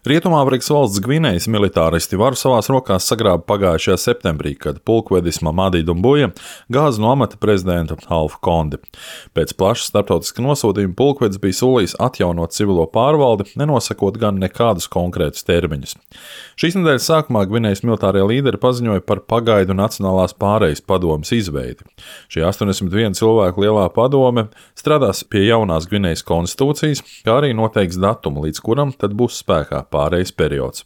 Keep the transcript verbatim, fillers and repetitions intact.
Rietumāfrikas valsts Gvinejas militāristi varu savās rokās sagrāba pagājušajā septembrī, kad pulkvedis Mamadi Dumbuja gāza no amata prezidenta Alfa Kondi. Pēc plaša starptautiska nosūtījuma pulkvedis bija solījis atjaunot civilo pārvaldi, nenosakot gan nekādus konkrētus termiņus. Šīs nedēļas sākumā Gvinejas militārie līderi paziņoja par pagaidu Nacionālās pārejas padomes izveidi. Šī astoņdesmit viena cilvēku lielā padome strādās pie jaunās Gvinejas konstitūcijas, kā arī noteiks datumu, līdz kuram tad būs spēkā pārejas periods.